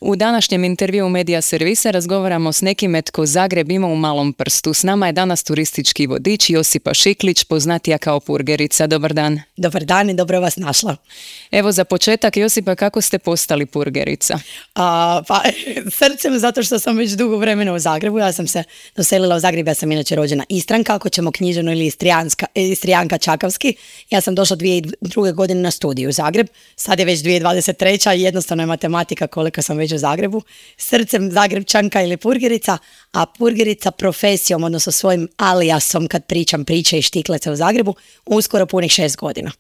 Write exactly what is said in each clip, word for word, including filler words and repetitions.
U današnjem intervjuu Medija Servisa razgovaramo s nekime tko Zagreb ima u malom prstu. S nama je danas turistički vodič Josipa Šiklić, poznatija kao Purgerica. Dobar dan. Dobar dan i dobro vas našla. Evo za početak, Josipa, kako ste postali Purgerica? A, pa, srcem, zato što sam već dugo vremena u Zagrebu. Ja sam se doselila u Zagreb, ja sam inače rođena Istranka, ako ćemo knjiženo, ili Istrijanska, Istrijanka Čakavski. Ja sam došla dvije tisuće druge. godine na studiju u Zagreb. Sad je već dvije tisuće dvadeset treća i jednostavno je matematika koliko sam već u Zagrebu. Srcem Zagrebčanka ili Purgerica, a Purgerica profesijom, odnosno svojim alijasom kad pričam priče i štiklice u Zagrebu, uskoro punih šest godina.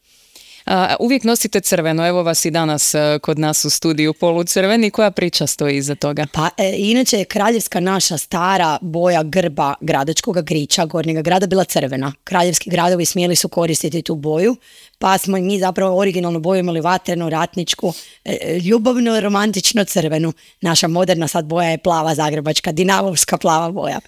A, uvijek nosite crveno, evo vas i danas a, kod nas u studiju polucrveni. Koja priča stoji iza toga? Pa e, inače je kraljevska naša stara boja grba gradačkoga griča Gornjega grada bila crvena. Kraljevski gradovi smjeli su koristiti tu boju, pa smo mi zapravo originalnu boju imali vatrenu, ratničku, e, ljubavno, romantično crvenu. Naša moderna sad boja je plava zagrebačka, dinamovska plava boja.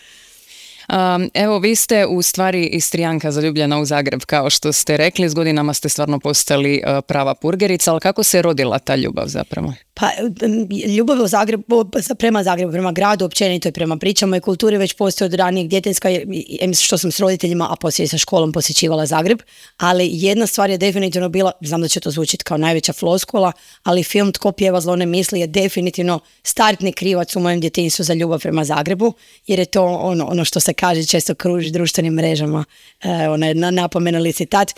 Um, evo, vi ste u stvari Istrijanka zaljubljena u Zagreb, kao što ste rekli. S godinama ste stvarno postali uh, prava Purgerica, ali kako se rodila ta ljubav zapravo? Pa ljubav u Zagrebu, prema Zagrebu, prema gradu, općenito i prema pričama i kulturi već postoji od ranijeg djetinjska, što sam s roditeljima, a poslije sa školom posjećivala Zagreb, ali jedna stvar je definitivno bila, znam da će to zvučiti kao najveća floskula, ali film Tko pjeva zlo ne misli je definitivno startni krivac u mojem djetinjstvu za ljubav prema Zagrebu, jer je to ono, ono što se kaže često kruži društvenim mrežama, e, onaj napomenuli citat.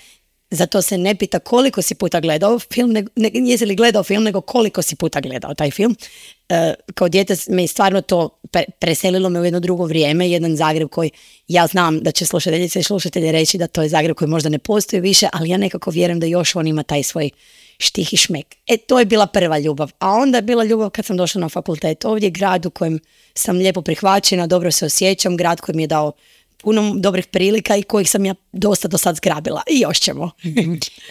Zato se ne pita koliko si puta gledao film, ne, ne, jesi li gledao film, nego koliko si puta gledao taj film. E, kao dijete me stvarno to pre, preselilo me u jedno drugo vrijeme, jedan Zagreb koji, ja znam da će slušateljice i slušatelji reći da to je Zagreb koji možda ne postoji više, ali ja nekako vjerujem da još on ima taj svoj štih i šmek. E, to je bila prva ljubav. A onda je bila ljubav kad sam došla na fakultet. Ovdje grad u kojem sam lijepo prihvaćena, dobro se osjećam, grad koji mi je dao puno dobrih prilika i kojih sam ja dosta do sad zgrabila. I još ćemo.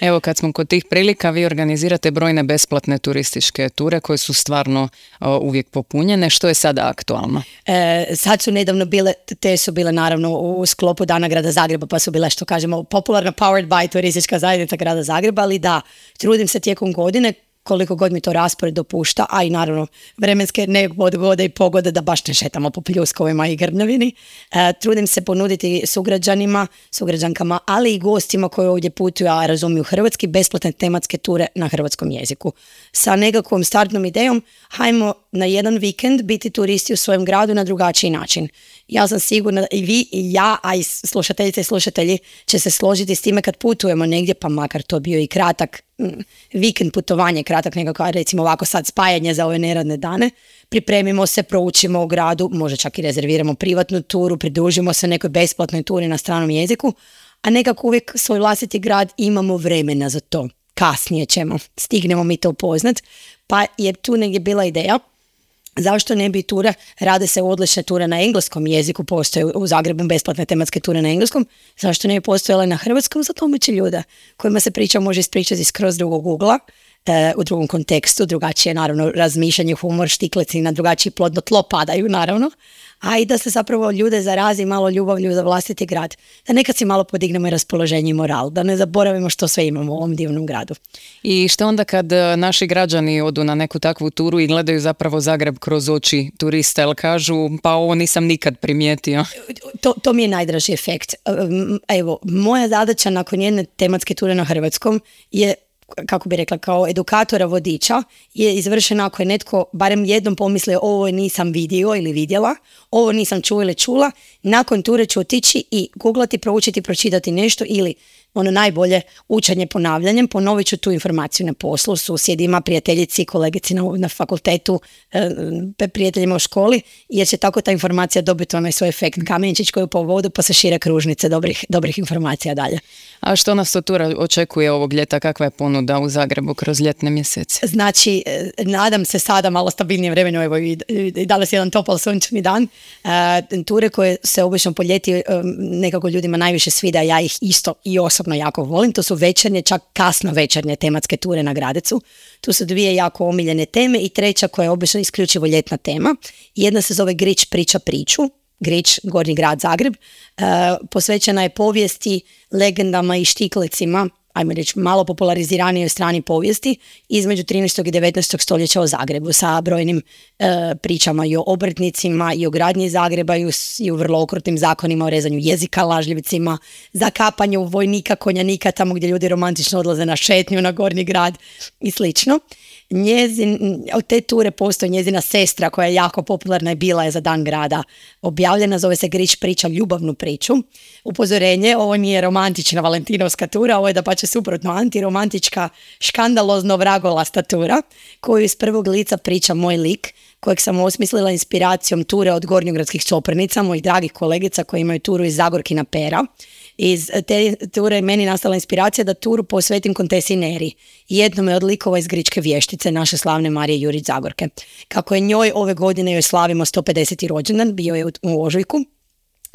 Evo, kad smo kod tih prilika, vi organizirate brojne besplatne turističke ture koje su stvarno o, uvijek popunjene. Što je sada aktualno? E, sad su nedavno bile, te su bile naravno u sklopu Dana grada Zagreba, pa su bile, što kažemo, popularno powered by turistička zajednica grada Zagreba, ali da, trudim se tijekom godine koliko god mi to raspored dopušta, a i naravno vremenske nepogode i pogode da baš ne šetamo po pljuskovima i grmljavini. E, trudim se ponuditi sugrađanima, sugrađankama, ali i gostima koji ovdje putuju, a razumiju hrvatski, besplatne tematske ture na hrvatskom jeziku. Sa nekakvom startnom idejom, hajmo na jedan vikend biti turisti u svojem gradu na drugačiji način. Ja sam sigurna da i vi i ja, a i slušateljice i slušatelji će se složiti s time kad putujemo negdje, pa makar to bio i kratak vikend putovanje, kratak nekako, recimo ovako sad spajanje za ove neradne dane, pripremimo se, proučimo u gradu, možda čak i rezerviramo privatnu turu, pridružimo se nekoj besplatnoj turi na stranom jeziku, a nekako uvijek svoj vlastiti grad imamo vremena za to. Kasnije ćemo, stignemo mi to upoznat, pa je tu negdje bila ideja. Zašto ne bi ture, rade se odlične ture na engleskom jeziku, postoje u Zagrebu besplatne tematske ture na engleskom, zašto ne bi postojale na hrvatskom, za domaće ljude kojima se priča može ispričati skroz drugog ugla, e, u drugom kontekstu, drugačije naravno razmišljanje, humor, štiklici na drugačiji plodno tlo padaju naravno, a i da se zapravo ljude zarazi malo ljubavlju za vlastiti grad, da nekad si malo podignemo i raspoloženje i moral, da ne zaboravimo što sve imamo u ovom divnom gradu. I što onda kad naši građani odu na neku takvu turu i gledaju zapravo Zagreb kroz oči turista, ili kažu pa ovo nisam nikad primijetio? To, to mi je najdraži efekt. Evo, moja zadaća nakon jedne tematske ture na hrvatskom je, kako bi rekla, kao edukatora vodiča je izvršena ako je netko barem jednom pomislio ovo nisam vidio ili vidjela, ovo nisam čuo ili čula, nakon ture ću otići i googlati, proučiti, pročitati nešto ili ono najbolje učenje ponavljanjem, ponovit ću tu informaciju na poslu, susjedima, prijateljici, kolegici na, na fakultetu, e, prijateljima u školi, jer će tako ta informacija dobiti onaj svoj efekt kamenčić koji po vodu pa se šire kružnice dobrih, dobrih informacija dalje. A što nas to tura očekuje ovog ljeta? Kakva je ponuda u Zagrebu kroz ljetne mjesece? Znači, nadam se sada malo stabilnije vremenu, evo i, i danas jedan topal sunčani dan. E, ture koje se obično po ljeti e, nekako ljudima najviše svida, ja ih isto i osobno jako volim, to su večernje, čak kasno večernje tematske ture na Gradecu. Tu su dvije jako omiljene teme i treća koja je obično isključivo ljetna tema. Jedna se zove Grič priča priču, Grič, Gornji grad Zagreb, e, posvećena je povijesti, legendama i štiklicima ajmo reći, malo populariziranijoj strani povijesti između trinaestog i devetnaestog stoljeća o Zagrebu sa brojnim e, pričama i o obrtnicima i o gradnji Zagreba i, u, i u vrlo okrutnim zakonima o rezanju jezika, lažljivicima, zakapanju vojnika, konjanika tamo gdje ljudi romantično odlaze na šetnju na Gornji grad i slično. Njezin, od te ture postoji njezina sestra koja je jako popularna i bila je za Dan grada objavljena, zove se Grič priča ljubavnu priču. Upozorenje, ovo nije romantična valentinovska tura, ovo je da pa će suprotno antiromantička škandalozno vragolasta tura koju iz prvog lica priča moj lik kojeg sam osmislila inspiracijom ture od gornjogradskih Coprnica, mojih dragih kolegica koji imaju turu iz Zagorkina pera. Iz te ture je meni nastala inspiracija da turu posvetim kontesi Neri, jednome od likova iz Gričke vještice, naše slavne Marije Jurić Zagorke. Kako je njoj ove godine joj slavimo sto pedeseti rođendan, bio je u, u ožujku,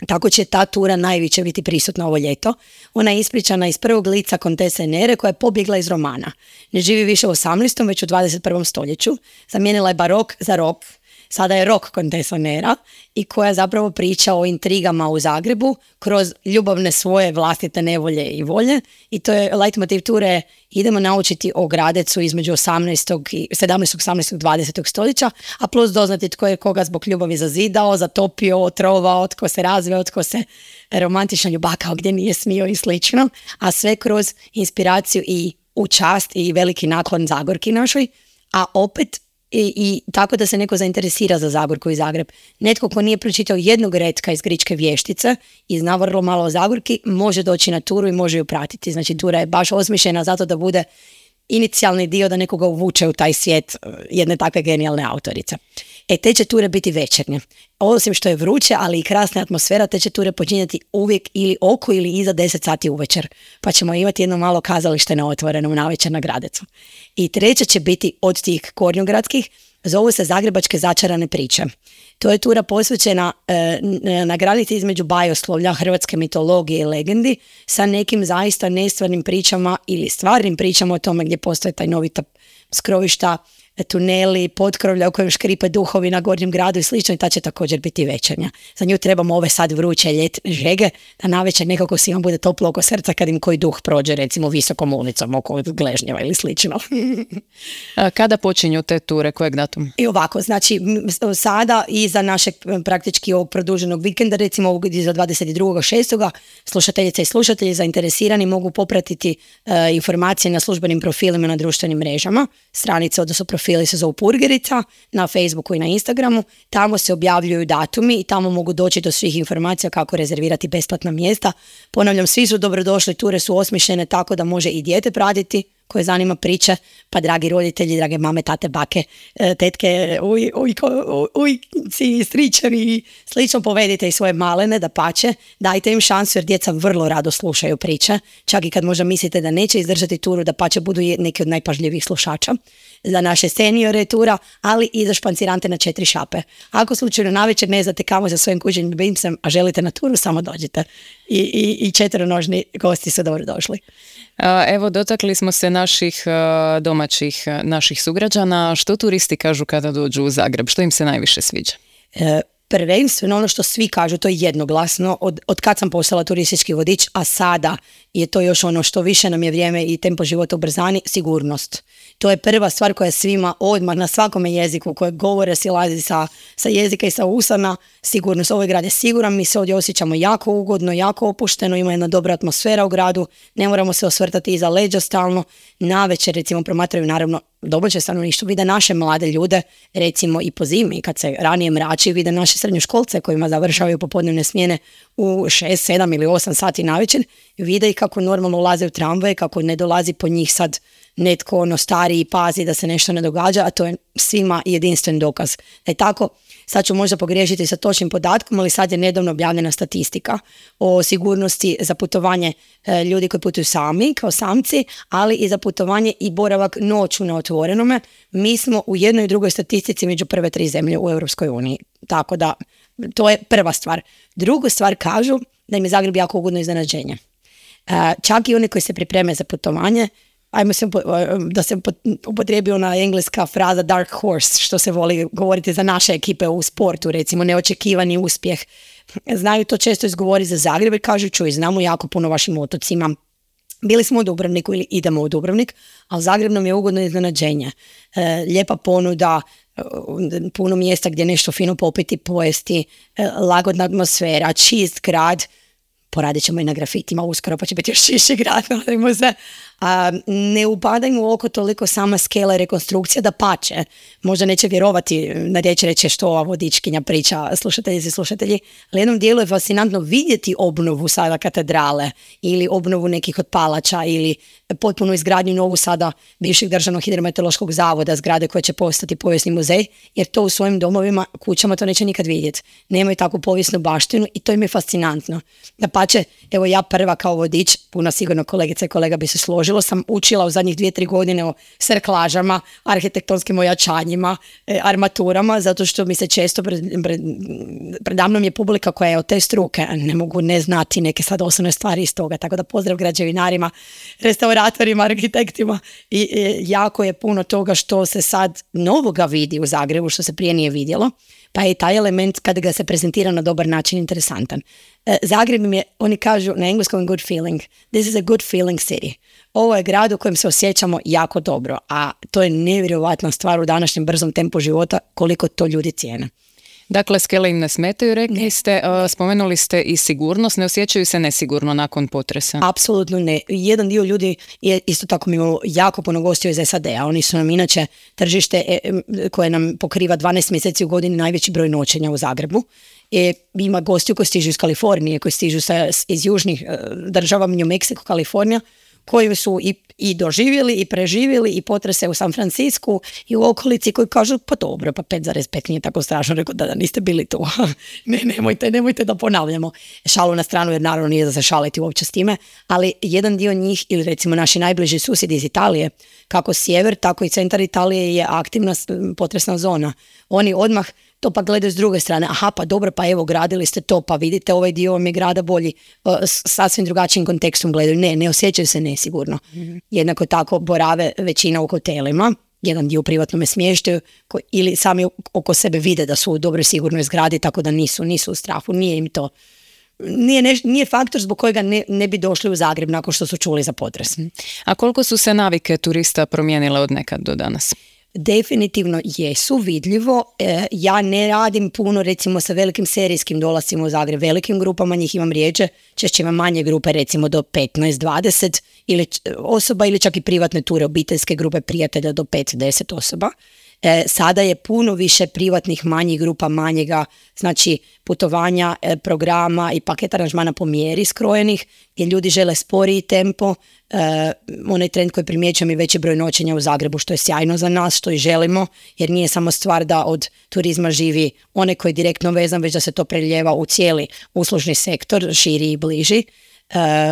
tako će ta tura najviše biti prisutna ovo ljeto. Ona je ispričana iz prvog lica kontese Nere koja je pobjegla iz romana. Ne živi više u osamnaestom već u dvadeset prvom stoljeću. Zamijenila je barok za rok. Sada je rok kontesa Nera i koja zapravo priča o intrigama u Zagrebu kroz ljubavne svoje vlastite nevolje i volje. I to je leitmotiv ture, idemo naučiti o Gradecu između osamnaestog, sedamnaestog, osamnaestog, dvadesetog stoljeća, a plus doznati tko je koga zbog ljubavi zazidao, zatopio, otrovao, tko se razveo, tko se romantično ljubakao gdje nije smio i slično, a sve kroz inspiraciju i u čast i veliki naklon Zagorki našoj, a opet I, i tako da se neko zainteresira za Zagorku i Zagreb. Netko ko nije pročitao jednog retka iz Gričke vještice i zna vrlo malo o Zagorki, može doći na turu i može ju pratiti. Znači tura je baš osmišljena zato da bude inicijalni dio da nekoga uvuče u taj svijet jedne takve genijalne autorice. E, te će ture biti večernje. Osim što je vruće, ali i krasna atmosfera, te će ture počinjati uvijek ili oko ili iza deset sati uvečer. Pa ćemo imati jedno malo kazalište na otvorenom navečer na Gradecu. I treća će biti od tih kornjogradskih, zovu se Zagrebačke začarane priče. To je tura posvećena e, na granici između bajoslovlja, hrvatske mitologije i legendi sa nekim zaista nestvarnim pričama ili stvarnim pričama o tome gdje postoje tajnovita skrovišta, tuneli, potkrovlja u kojem škripe duhovi na Gornjem gradu i slično, i ta će također biti večernja. Za nju trebamo ove sad vruće ljetne žege, da navečer nekako svima bude toplo oko srca kad im koji duh prođe recimo visokom ulicom oko Gležnjeva ili slično. A kada počinju te ture, kojeg datuma? I ovako, znači sada i za našeg praktički ovog produženog vikenda, recimo ovog za dvadeset drugog šestog slušateljice i slušatelji zainteresirani mogu popratiti uh, informacije na službenim profilima na društvenim mrežama, stranice, odnosno profili se zovu Purgerica na Facebooku i na Instagramu, tamo se objavljuju datumi i tamo mogu doći do svih informacija kako rezervirati besplatna mjesta. Ponavljam, svi su dobrodošli, ture su osmišljene tako da može i dijete pratiti koje zanima priče, pa dragi roditelji, drage mame, tate, bake, tetke, uj, uj, ujci, stričevi i slično, povedite i svoje malene da pače, dajte im šansu jer djeca vrlo rado slušaju priče, čak i kad možda mislite da neće izdržati turu, da pače budu neki od najpažljivijih slušača. Za naše seniore tura, ali i za špancirante na četiri šape. Ako slučajno navečer ne znate kamo sa svojim kućnim ljubimcem, a želite na turu, samo dođite. I, i, i četveronožni gosti su dobro došli. Evo, dotakli smo se naših domaćih, naših sugrađana. Što turisti kažu kada dođu u Zagreb? Što im se najviše sviđa? E, prvenstveno ono što svi kažu, to je jednoglasno, od, od kad sam postala turistički vodič, a sada je to još ono što više nam je vrijeme i tempo života ubrzani, sigurnost. To je prva stvar koja svima odmah na svakome jeziku koje govore silazi sa, sa jezika i sa usana, sigurnost. Ovaj grad je siguran, mi se ovdje osjećamo jako ugodno, jako opušteno, ima jedna dobra atmosfera u gradu, ne moramo se osvrtati iza leđa stalno. Navečer recimo promatraju naravno domaće stanovništvo, vide naše mlade ljude, recimo i po zimi kad se ranije mrači, vide naše srednjoškolce kojima završavaju popodnevne smjene u šest, sedam ili osam sati navečer, vide i kako normalno ulaze u tramvaje, kako ne dolazi po njih sad netko ono stariji pazi da se nešto ne događa, a to je svima jedinstven dokaz. Da je tako, sad ću možda pogriješiti sa točnim podatkom, ali sad je nedavno objavljena statistika o sigurnosti za putovanje e, ljudi koji putuju sami, kao samci, ali i za putovanje i boravak noću na otvorenome. Mi smo u jednoj i drugoj statistici među prve tri zemlje u Europskoj uniji. Tako da, to je prva stvar. Drugu stvar kažu da im je Zagreb jako ugodno iznenađenje. E, čak i oni koji se pripreme za putovanje, ajmo se, da se upotrijebi ona engleska fraza dark horse, što se voli govoriti za naše ekipe u sportu, recimo neočekivani uspjeh. Znaju to često izgovori za Zagreb, kažu čuj, znamo jako puno vašim otocima, Bili smo u Dubrovniku ili idemo u Dubrovnik, ali Zagreb nam je ugodno iznenađenje. E, lijepa ponuda, e, puno mjesta gdje nešto fino popiti, pojesti, e, lagodna atmosfera, čist grad. Poradit ćemo i na grafitima uskoro, pa će biti još čišći grad, nadajmo se. A, ne upadajmo u oko toliko sama skela i rekonstrukcija, da pače. Možda neće vjerovati na riječ, reće što ova vodičkinja priča, slušatelji i slušatelji, ali jednom dijelu je fascinantno vidjeti obnovu sada katedrale ili obnovu nekih od palača ili potpuno izgradnju novu sada bivšeg državnog hidrometeorološkog zavoda, zgrade koje će postati povijesni muzej, jer to u svojim domovima, kućama to neće nikad vidjeti. Nemaju takvu povijesnu baštinu i to im je fascinantno. Da pače, evo ja prva kao vodič, puno sigurno kolegica i kolega bi se složilo, sam učila u zadnjih dvije, tri godine o serklažama, arhitektonskim ojačanjima, e, armaturama, zato što mi se često pred, pred, predamnom je publika koja je od te struke, ne mogu ne znati neke sad osnovne stvari iz toga, tako da pozdrav građevinarima, restauratorima, arhitektima i e, jako je puno toga što se sad novoga vidi u Zagrebu, što se prije nije vidjelo, pa je i taj element kada ga se prezentira na dobar način interesantan. E, Zagreb im je, oni kažu na engleskom good feeling, this is a good feeling city. Ovo je grad u kojem se osjećamo jako dobro, a to je nevjerojatna stvar u današnjem brzom tempu života, koliko to ljudi cijene. Dakle, skele im ne smetaju, rekli ste, uh, spomenuli ste i sigurnost, ne osjećaju se nesigurno nakon potresa? Apsolutno ne. Jedan dio ljudi je isto tako mi imalo jako puno gostiju iz S A D-a. Oni su nam inače tržište e, koje nam pokriva dvanaest mjeseci u godini najveći broj noćenja u Zagrebu. E, ima gostiju koji stižu iz Kalifornije, koji stižu sa, iz južnih e, država, New Mexico, Kalifornija, koji su i, i doživjeli i preživjeli i potrese u San Francisku i u okolici, koji kažu pa dobro, pa pet zarez pet nije tako strašno, rekao da, da niste bili tu. ne, nemojte, nemojte da ponavljamo. Šalu na stranu, jer naravno nije da se šaliti uopće s time, ali jedan dio njih, ili recimo naši najbliži susjedi iz Italije, kako sjever, tako i centar Italije je aktivna potresna zona. Oni odmah to pa gledaju s druge strane, aha pa dobro, pa evo gradili ste to, pa vidite ovaj dio vam je grada bolji, s sasvim drugačijim kontekstom gledaju, ne, ne osjećaju se nesigurno. Mm-hmm. Jednako tako borave većina u hotelima, jedan dio u privatnome smještaju ili sami oko sebe vide da su u dobroj sigurnoj zgradi, tako da nisu, nisu u strahu, nije im to, nije, neš, nije faktor zbog kojega ne, ne bi došli u Zagreb nakon što su čuli za potres. A koliko su se navike turista promijenile od nekad do danas? Definitivno jesu, vidljivo. E, ja ne radim puno recimo sa velikim serijskim dolascima u Zagreb, velikim grupama, njih imam rijeđe, češće imam manje grupe recimo do petnaest dvadeset ili osoba ili čak i privatne ture, obiteljske grupe prijatelja do pet do deset osoba. E, sada je puno više privatnih manjih grupa, manjega, znači putovanja, e, programa i paket aranžmana po mjeri skrojenih, gdje ljudi žele sporiji tempo. E, onaj trend koji primjećujem je veći broj noćenja u Zagrebu, što je sjajno za nas, što i želimo, jer nije samo stvar da od turizma živi onaj koji je direktno vezan, već da se to preljeva u cijeli uslužni sektor, širi i bliži.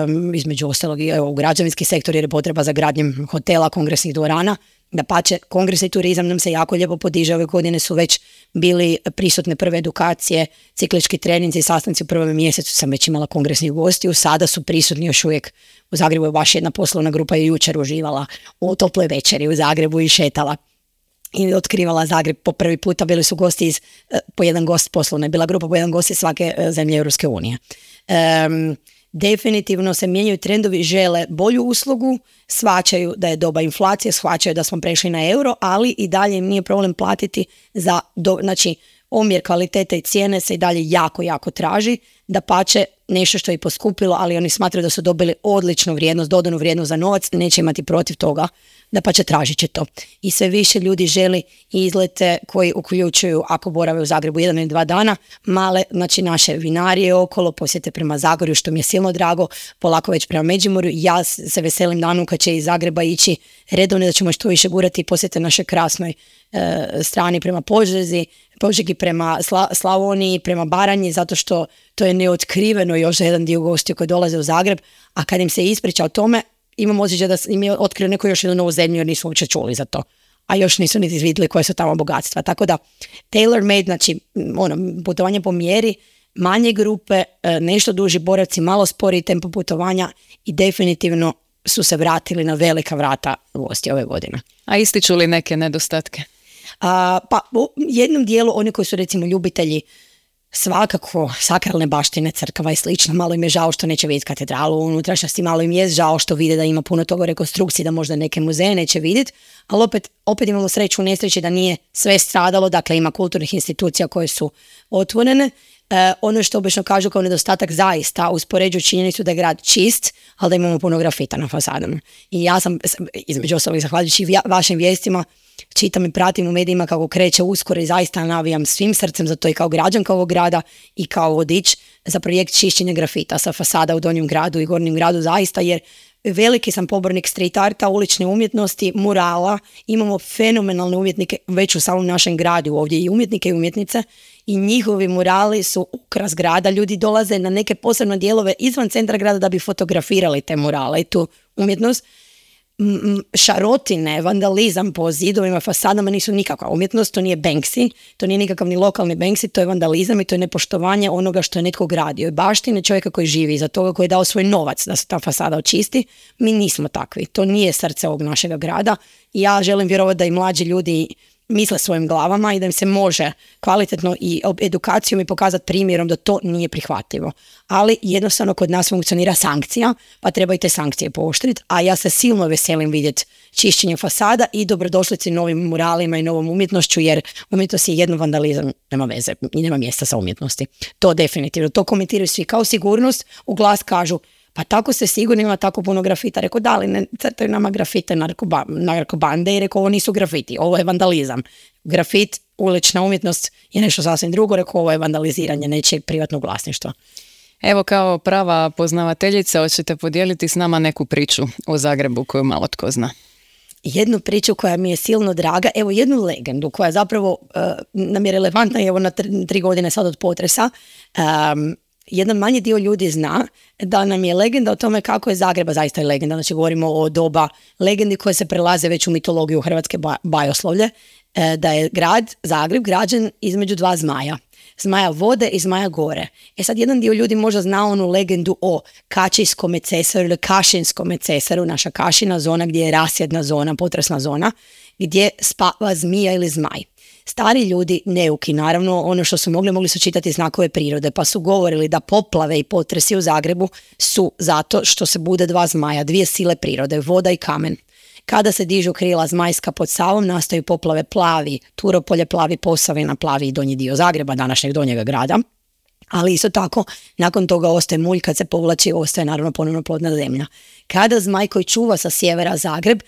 Um, između ostalog i u građevinski sektor, jer je potreba za gradnjem hotela, kongresnih dvorana. Dapače, kongresni turizam nam se jako lijepo podiže, ove godine su već bili prisutne prve edukacije, ciklički treninzi i sastanci u prvom mjesecu sam već imala kongresnih gostiju, sada su prisutni još uvijek. U Zagrebu je baš jedna poslovna grupa je jučer uživala u toploj večeri u Zagrebu i šetala i otkrivala Zagreb po prvi puta. Bili su gosti iz, po jedan gost poslovna, je bila grupa po jedan gost iz svake zemlje Europske unije. Um, Definitivno se mijenjaju trendovi, žele bolju uslugu, shvaćaju da je doba inflacije, shvaćaju da smo prešli na euro, ali i dalje im nije problem platiti za, do, znači, omjer kvalitete i cijene se i dalje jako, jako traži, dapače nešto što je poskupilo, ali oni smatraju da su dobili odličnu vrijednost, dodanu vrijednost za novac, neće imati protiv toga, dapače tražit će to. I sve više ljudi želi izlete koji uključuju, ako borave u Zagrebu jedan ili dva dana, male, znači naše vinarije okolo, posjete prema Zagorju, što mi je silno drago, polako već prema Međimurju. Ja se veselim danu kad će iz Zagreba ići redovno, da ćemo što više gurati i posjete naše krasnoj e, strani prema Požegi, Požegi prema Sla, Slavoniji, prema Baranji, zato što to je neotkriveno još za jedan dio gostiju koji dolaze u Zagreb, a kad im se ispriča o tome, imam osjećaj da im je otkrio neko još jednu novu zemlju jer nisu uopće čuli za to. A još nisu niti vidjeli koje su tamo bogatstva. Tako da, tailor made, znači ono, putovanje po mjeri, manje grupe, nešto duži boravci, malo sporiji tempo putovanja i definitivno su se vratili na velika vrata gosti ove godine. A ističu li neke nedostatke? A, pa u jednom dijelu oni koji su recimo ljubitelji svakako sakralne baštine, crkava i slično. Malo im je žao što neće vidjeti katedralu u unutrašnjosti, malo im je žao što vide da ima puno toga rekonstrukcije, da možda neke muzeje neće vidjeti, ali opet, opet imamo sreću u nesreći da nije sve stradalo, dakle ima kulturnih institucija koje su otvorene. E, ono što obično kažu kao nedostatak zaista uspoređuju činjenicu da je grad čist, ali da imamo puno grafita na fasadama. I ja sam, između ostalih, zahvaljujući vašim vijestima, čitam i pratim u medijima kako kreće uskoro i zaista navijam svim srcem za to i kao građanka ovog grada i kao vodič za projekt čišćenja grafita sa fasada u Donjem gradu i Gornjem gradu zaista, jer veliki sam pobornik street arta, ulične umjetnosti, murala, imamo fenomenalne umjetnike već u samom našem gradu ovdje i umjetnike i umjetnice i njihovi murali su ukras grada, ljudi dolaze na neke posebne dijelove izvan centra grada da bi fotografirali te murale i tu umjetnost. Šarotine, vandalizam po zidovima, fasadama nisu nikakva umjetnost, to nije Banksy, to nije nikakav ni lokalni Banksy, to je vandalizam i to je nepoštovanje onoga što je netko gradio. I baštine čovjeka koji živi iza toga, koji je dao svoj novac da se ta fasada očisti, mi nismo takvi. To nije srce ovog našega grada i ja želim vjerovati da i mlađi ljudi misle svojim glavama i da im se može kvalitetno i edukacijom i pokazati primjerom da to nije prihvatljivo. Ali jednostavno kod nas funkcionira sankcija, pa treba i te sankcije pooštriti, a ja se silno veselim vidjeti čišćenje fasada i dobrodošlici novim muralima i novom umjetnošću, jer umjetnost je jedno, vandalizam nema veze i nema mjesta sa umjetnosti. To definitivno, to komentiraju svi kao sigurnost, u glas kažu pa tako se sigurno ima tako puno grafita. Rekao, da li ne crtaju nama grafite narkoba, narkobande i rekao, ovo nisu grafiti, ovo je vandalizam. Grafit, ulična umjetnost je nešto sasvim drugo, rekao, ovo je vandaliziranje nečijeg privatnog vlasništva. Evo, kao prava poznavateljica, hoćete podijeliti s nama neku priču o Zagrebu koju malo tko zna? Jednu priču koja mi je silno draga, evo jednu legendu koja zapravo uh, nam je relevantna evo na tri, tri godine sad od potresa. Um, Jedan manji dio ljudi zna da nam je legenda o tome kako je Zagreba, zaista je legenda, znači govorimo o doba legendi koje se prelaze već u mitologiju hrvatske bajoslovlje, da je grad Zagreb građen između dva zmaja. Zmaja vode i zmaja gore. E sad, jedan dio ljudi možda zna onu legendu o Kačijskome cesaru ili Kašinskome cesaru, naša Kašina zona gdje je rasjedna zona, potresna zona, gdje spava zmija ili zmaj. Stari ljudi, neuki, naravno, ono što su mogli, mogli su čitati znakove prirode, pa su govorili da poplave i potresi u Zagrebu su zato što se bude dva zmaja, dvije sile prirode, voda i kamen. Kada se dižu krila zmajska pod Savom, nastaju poplave plavi, Turopolje, plavi Posavina, plavi i donji dio Zagreba, današnjeg donjega grada. Ali isto tako, nakon toga ostaje mulj, kad se povlači, ostaje naravno ponovno plodna zemlja. Kada zmaj koji čuva sa sjevera Zagreb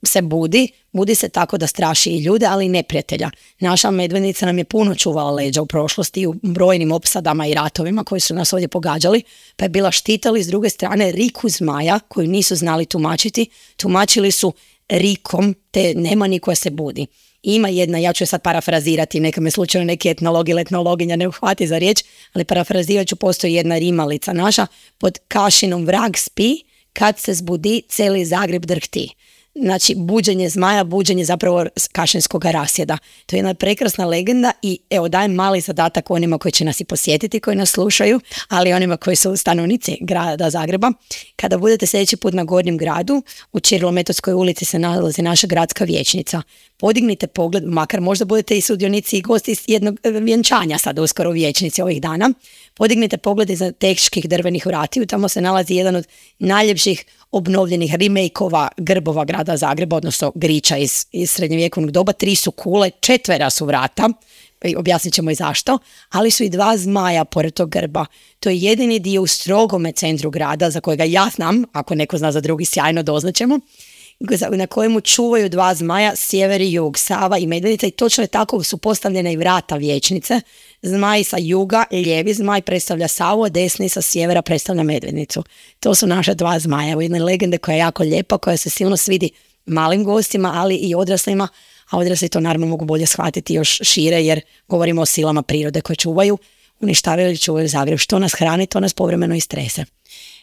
se budi, budi se tako da straši i ljude, ali i neprijatelja. Naša Medvednica nam je puno čuvala leđa u prošlosti u brojnim opsadama i ratovima koji su nas ovdje pogađali, pa je bila štitali s druge strane riku zmaja koju nisu znali tumačiti, tumačili su rikom te nemani koja se budi. Ima jedna, ja ću je sad parafrazirati, neka me slučajno neki etnolog ili etnologinja ne uhvati za riječ, ali parafrazirat ću, postoji jedna rimalica naša, pod Kašinom vrag spi, kad se zbudi, cijeli Zagreb drhti. Znači, buđenje zmaja, buđenje zapravo kašinskog rasjeda. To je jedna prekrasna legenda i evo dajem mali zadatak onima koji će nas i posjetiti, koji nas slušaju, ali onima koji su stanovnici grada Zagreba. Kada budete sljedeći put na Gornjem gradu, u Ćirilometodskoj ulici se nalazi naša gradska vijećnica. Podignite pogled, makar možda budete i sudionici i gosti iz jednog vjenčanja sad uskoro u vijećnici ovih dana. Podignite pogled iza teških drvenih vratiju, tamo se nalazi jedan od najljepših obnovljenih remake-ova grbova grada Zagreba, odnosno griča iz, iz srednjovjekovnog doba. Tri su kule, četvera su vrata, objasnit ćemo i zašto, ali su i dva zmaja pored tog grba. To je jedini dio u strogome centru grada, za kojega ja znam, ako neko zna za drugi, sjajno doznaćemo, na kojemu čuvaju dva zmaja, sjever i jug, Sava i Medvednica, i točno je tako su postavljene i vrata vijećnice. Zmaj sa juga, lijevi zmaj predstavlja Savu, a desni sa sjevera predstavlja Medvednicu. To su naše dva zmaja, u jedne legende koja je jako lijepa, koja se silno svidi malim gostima, ali i odraslima, a odrasli to naravno mogu bolje shvatiti još šire, jer govorimo o silama prirode koje čuvaju, uništavaju ili čuvaju Zagreb. Što nas hrani, to nas povremeno i strese.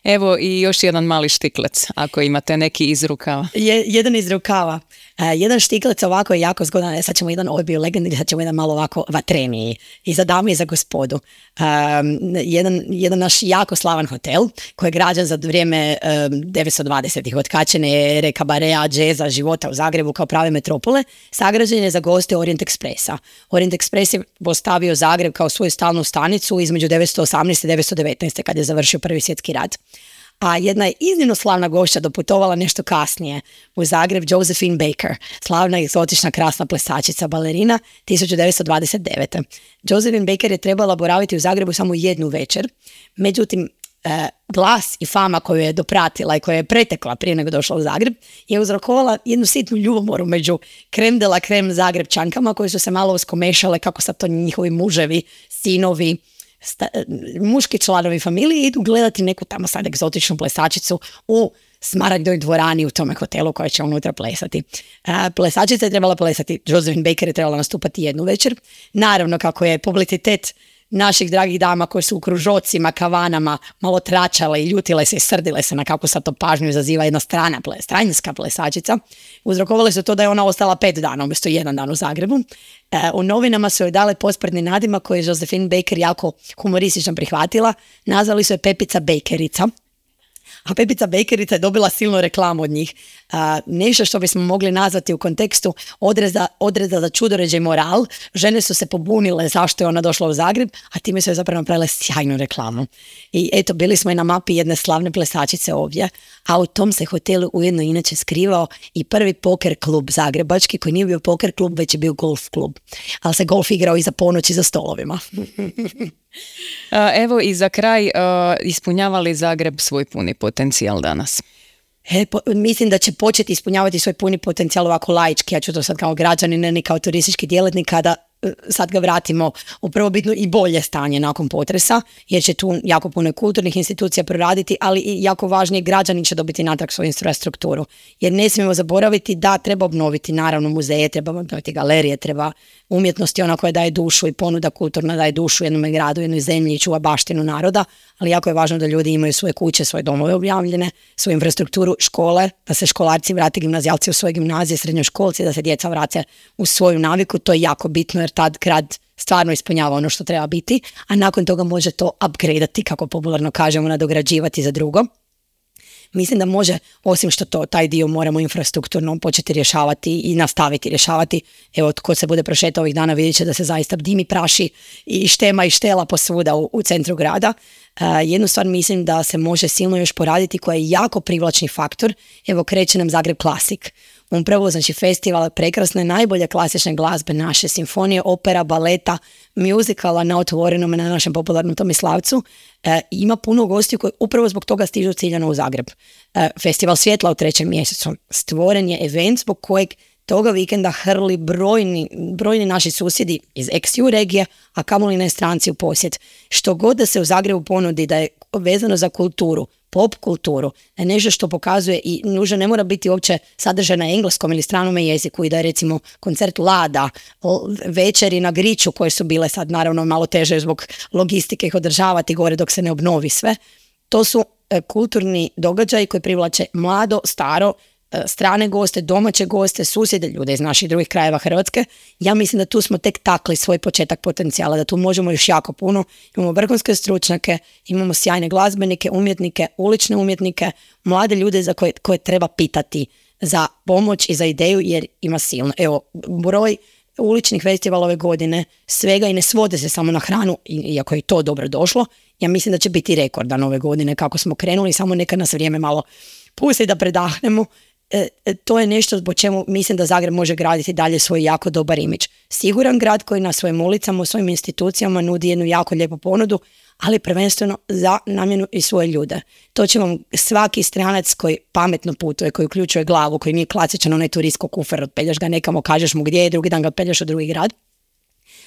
Evo i još jedan mali štiklec, ako imate neki iz rukava. Je, jedan iz rukava. jedan štiklec ovako je jako zgodan, sad ćemo jedan, ovo je bio legendarni, sad ćemo jedan malo ovako vatreniji, i za dame i za gospodu. Um, jedan, jedan naš jako slavan hotel, koji je građan za vrijeme um, devetsto dvadesetih, otkačene ere, kabarea, džeza, života u Zagrebu kao prave metropole, sagrađen je za goste Orient Expressa. Orient Express je postavio Zagreb kao svoju stalnu stanicu između devetsto osamnaeste i devetsto devetnaeste kad je završio Prvi svjetski rat. A jedna je iznimno slavna gošća doputovala nešto kasnije u Zagreb, Josephine Baker, slavna egzotična krasna plesačica balerina tisuću devetsto dvadeset devete. Josephine Baker je trebala boraviti u Zagrebu samo jednu večer, međutim eh, glas i fama koju je dopratila i koja je pretekla prije nego došla u Zagreb je uzrokovala jednu sitnu ljubomoru među krem de la krem Zagrebčankama koje su se malo uskomešale kako sad to njihovi muževi, sinovi, Sta, muški članovi familije idu gledati neku tamo sad egzotičnu plesačicu u Smaragdovoj dvorani u tome hotelu koja će unutra plesati. A, plesačica je trebala plesati, Josephine Baker je trebala nastupati jednu večer. Naravno, kako je publicitet naših dragih dama koje su u kružocima, kavanama malo tračale i ljutile se i srdile se na kako sad to pažnju izaziva jedna strana ple, stranjska plesačica, uzrokovali su to da je ona ostala pet dana umjesto jedan dan u Zagrebu. E, u novinama su joj dale posprdni nadimak koji je Josephine Baker jako humoristično prihvatila. Nazvali su je Pepica Bakerica. A Pepica Bakerica je dobila silnu reklamu od njih. A, nešto što bismo mogli nazvati u kontekstu odreza, odreza za čudoređe i moral. Žene su se pobunile zašto je ona došla u Zagreb, a time su je zapravo napravile sjajnu reklamu. I eto, bili smo i na mapi jedne slavne plesačice ovdje, a u tom se hotelu ujedno inače skrivao i prvi poker klub zagrebački, koji nije bio poker klub, već je bio golf klub. Ali se golf igrao iza ponoći za stolovima. Evo i za kraj, ispunjava li Zagreb svoj puni potencijal danas? E, po, mislim da će početi ispunjavati svoj puni potencijal ovako laički, ja ću to sad kao građanin, ne kao turistički djelatnik, kada sad ga vratimo u prvobitno i bolje stanje nakon potresa, jer će tu jako puno kulturnih institucija proraditi, ali i jako važnije, građani će dobiti natrag svoju infrastrukturu. Jer ne smijemo zaboraviti da treba obnoviti naravno muzeje, treba obnoviti galerije, treba umjetnosti, ona koja daje dušu i ponuda kulturna daje dušu jednom gradu, jednoj zemlji i čuva baštinu naroda, ali jako je važno da ljudi imaju svoje kuće, svoje domove objavljene, svoju infrastrukturu, škole, da se školarci vrati, gimnazijalci u svoje gimnazije, srednjoškolci, da se djeca vrate u svoju naviku, to je jako bitno jer tad grad stvarno ispunjava ono što treba biti, a nakon toga može to upgradeati, kako popularno kažemo, nadograđivati za drugo. Mislim da može, osim što to, taj dio moramo infrastrukturno početi rješavati i nastaviti rješavati. Evo, tko se bude prošetao ovih dana vidjet će da se zaista dimi, praši i štema i štela posvuda u, u centru grada. Uh, jednu stvar mislim da se može silno još poraditi koja je jako privlačni faktor. Evo, kreće nam Zagreb Classic. Upravo, znači, festival prekrasne, najbolje klasične glazbe, naše simfonije, opera, baleta, muzikala na otvorenom na našem popularnom Tomislavcu. E, ima puno gostiju koji upravo zbog toga stižu ciljano u Zagreb. E, Festival svjetla u trećem mjesecu. Stvoren je event zbog kojeg toga vikenda hrli brojni, brojni naši susjedi iz ex ju regije, a kamoli ne stranci u posjet. Što god da se u Zagrebu ponudi da je vezano za kulturu, pop kulturu, da je nešto što pokazuje i nužno ne mora biti uopće sadržaj na engleskom ili stranom jeziku i da je recimo koncert Lada, večeri na Griču koje su bile sad naravno malo teže zbog logistike ih održavati gore dok se ne obnovi sve. To su e, kulturni događaji koji privlače mlado, staro, strane goste, domaće goste, susjede, ljude iz naših drugih krajeva Hrvatske. Ja mislim da tu smo tek takli svoj početak potencijala, da tu možemo još jako puno. Imamo vrhunske stručnjake, imamo sjajne glazbenike, umjetnike, ulične umjetnike, mlade ljude za koje, koje treba pitati za pomoć i za ideju jer ima silno. Evo, broj uličnih festivala ove godine svega i ne svode se samo na hranu, iako je to dobro došlo. Ja mislim da će biti rekordan ove godine kako smo krenuli, samo neka nas vrijeme malo pusti da predahnemo. E, to je nešto zbog čemu mislim da Zagreb može graditi dalje svoj jako dobar imidž. Siguran grad koji na svojim ulicama, u svojim institucijama nudi jednu jako lijepu ponudu, ali prvenstveno za namjenu i svoje ljude. To će vam svaki stranac koji pametno putuje, koji uključuje glavu, koji nije klasičan onaj turistko kufer, odpeljaš ga nekamo, kažeš mu gdje je, drugi dan ga odpeljaš u drugi grad.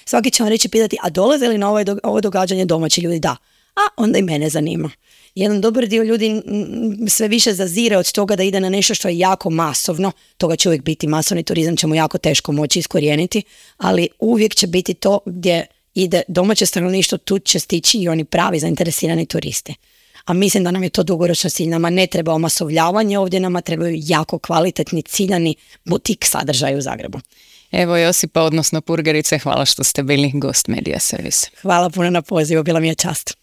Svaki će vam reći pitati, a dolaze li na ovo, ovo događanje domaći ljudi? Da. A onda i mene zanima. Jedan dobar dio ljudi sve više zazire od toga da ide na nešto što je jako masovno, toga će uvijek biti, masovni turizam ćemo jako teško moći iskorijeniti, ali uvijek će biti to gdje ide domaće stanovništvo, tu će stići i oni pravi zainteresirani turisti. a mislim da nam je to dugoročno cilj. Nama ne treba omasovljavanje ovdje, nama trebaju jako kvalitetni, ciljani butik sadržaj u Zagrebu. Evo Josipa, odnosno Purgerice, hvala što ste bili gost Media Servisa. Hvala puno na pozivu, bila mi je čast.